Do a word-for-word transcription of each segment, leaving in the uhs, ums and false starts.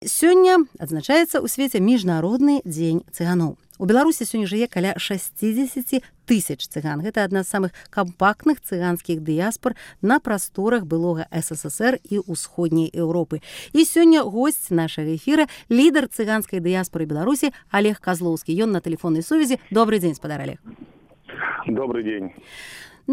Сёння адзначаецца ў свеце міжнародны дзень цыганоў. У Беларусі сёння жыве каля шэсцідзесят тысяч цыган. Гэта адна з самых кампактных цыганскіх дыяспор на прасторах былога эс эс эс эр і ўсходняй Еўропы. І сёння госць нашага эфіра, лідар цыганскай дыяспоры Беларусі Олег Козловскі. Ён на тэлефоннай сувязі. Добрый дзень, спадар Олег. Добрый дзень.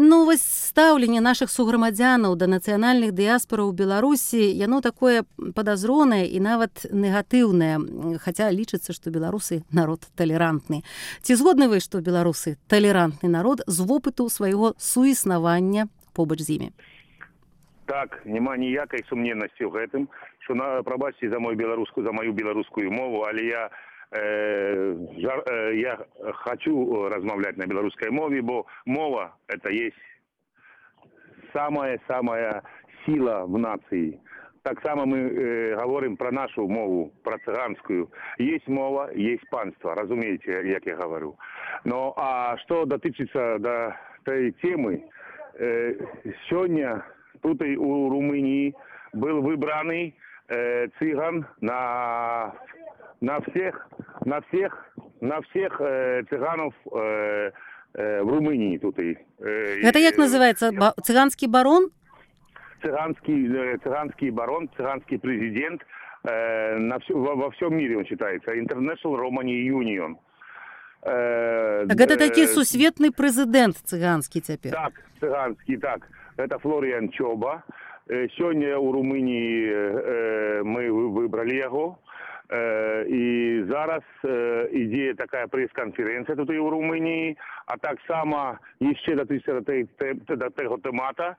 Ну, вось стаўленне нашых суграмадзянаў да нацыянальных дыяспораў Беларусі, яно такое падазронае і нават негатыўнае, хаця лічыцца, што беларусы народ талерантны. Ці згодны вы, што беларусы талерантны народ з вопыту свайго суіснавання побач з імі? Так, няма ніякай сумненнасці ў гэтым, што на прабачце за мою беларускую, за маю беларускую мову, але я Э, жар, э, я хочу размовлять на белорусской мове, бо мова – это есть самая-самая сила в нации. Так само мы э, говорим про нашу мову, про цыганскую. Есть мова, есть панство, разумеете, как я говорю. Но а что дотычится до той темы, э, сегодня тут и у Румынии был выбранный э, цыган на... На всех, на всех, на всех э, цыганов э, э, в Румынии тут и. Э, Это как называется? Ба- цыганский барон? Цыганский, э, цыганский барон, цыганский президент э, на все, во, во всем мире он считается. International Romani Union. Э, так это э, таки сусветный президент цыганский теперь. Так, цыганский, так. Это Флориан Чоба. Э, сегодня у Румынии э, мы выбрали его. І зараз ідзе такая прэс-канферэнцыя тут і ў Румыніі, а так само яшчэ датычыцца да таго тэмата.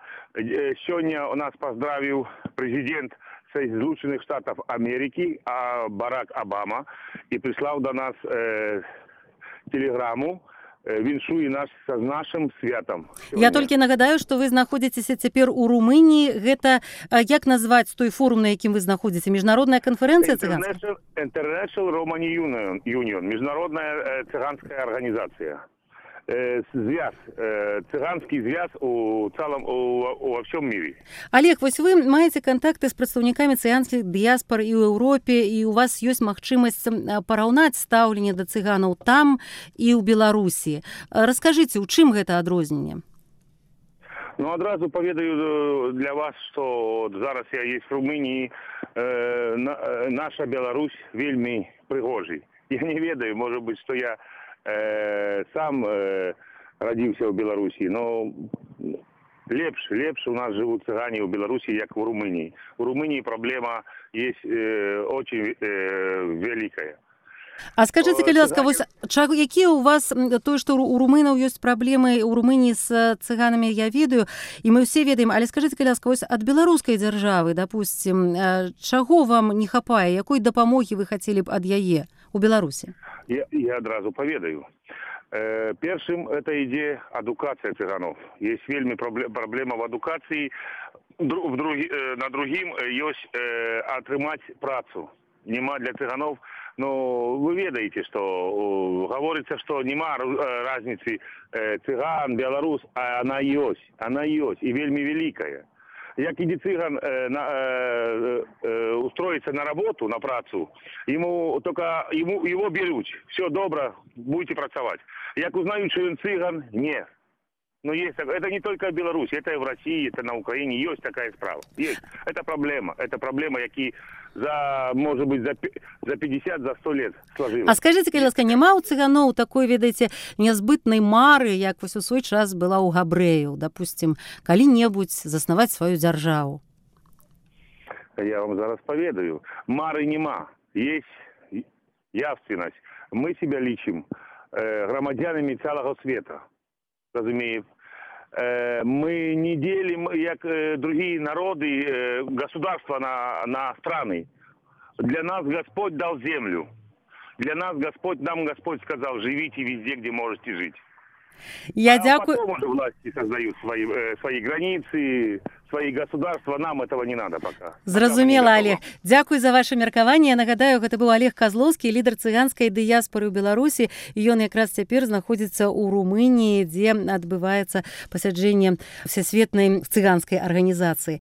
Сёння у нас паздравіў прэзідэнт Злучаных Штатаў Амерыкі Барак Обама і прыслаў да нас телеграму. Віншуе нас з нашым святам. Я толькі нагадаю, што вы знаходзіцеся цяпер у Румыніі. Гэта як назваць той форум, на якім вы знаходзіце? Міжнародная канферэнцыя цыганская? International Romani Union, міжнародная цыганская арганізацыя. Звяз, цыганскі звяз у цалым у всем мире. Олег, вось вы маеце кантакты з прадстаўнікамі цыганскіх дыяспор і ў Еўропе, і у вас ёсць магчымасць параўнаць стаўленне да цыганаў там і ў Беларусі. Раскажыце, у чым гэта адрозненне? Ну, адразу паведаю для вас, што зараз я есть в Румынії, э, на, наша Беларусь вельмі прыгожай. Я не ведаю, можа быць, што я Э, сам э, родился в Беларуси, но лепш, лепш у нас живут цыгане в Беларуси, как в Румынии. В Румынии проблема есть э, очень э, великая. А скажите, калі ласка, вось якія у вас тое, што у румынаў ёсць праблемы у Румыніі з цыганамі, я ведаю, і мы ўсе ведаем, але скажите, калі ласка, вось ад беларускай дзяржавы, допустим, чаго вам не хапае, якой дапамогі вы хацелі б ад яе у Беларусі? Я, я одразу поведаю. Э, Першым это ідзе адукацыя цыганов. Есть вельмі проблема в адукацыі. В другі, э, на другім ёсць э, атрымаць працу. Нема для цыганов. Но вы ведаете, что э, говорится, что нема разницы э, цыган, белорус, а она ёсць. Она ёсць и вельмі великая. Як іде цыган э, на, э, э, устроиться на работу, на працу, ему только ему его берут. Все добро, будете працавать. Як узнают, что он цыган, нет. Но есть, это не только в Беларуси, это и в России, это на Украине, есть такая справа. Есть. Это проблема. Это проблема, які за, может быть, за, за пятьдесят, за сто лет сложилась. А скажите, калі ласка, няма у цыганоў такой, ведаеце, нязбытнай мары, як вось у свой час была у габрэяў, допустим, калі-небудзь заснаваць сваю дзяржаву? Я вам зараз поведаю. Мары нема. Есть явственность. Мы себя лічым э, громадянами целого света. Разумеется, мы не делим, как другие народы, государства на, на страны. Для нас Господь дал землю. Для нас Господь, нам Господь сказал, живите везде, где можете жить. Я а дякую. Потом уже власти создают свои, свои границы, свои государства. Нам этого не надо пока. Зразумела, Олег. Дзякуй за ваше меркаванне. Я нагадаю, гэта быў Олег Козловскі, лідар цыганскай дыяспоры ў Беларусі. Ён якраз цяпер знаходзіцца ў Румыніі, дзе адбываецца пасяджэнне Всесветнай цыганскай арганізацыі.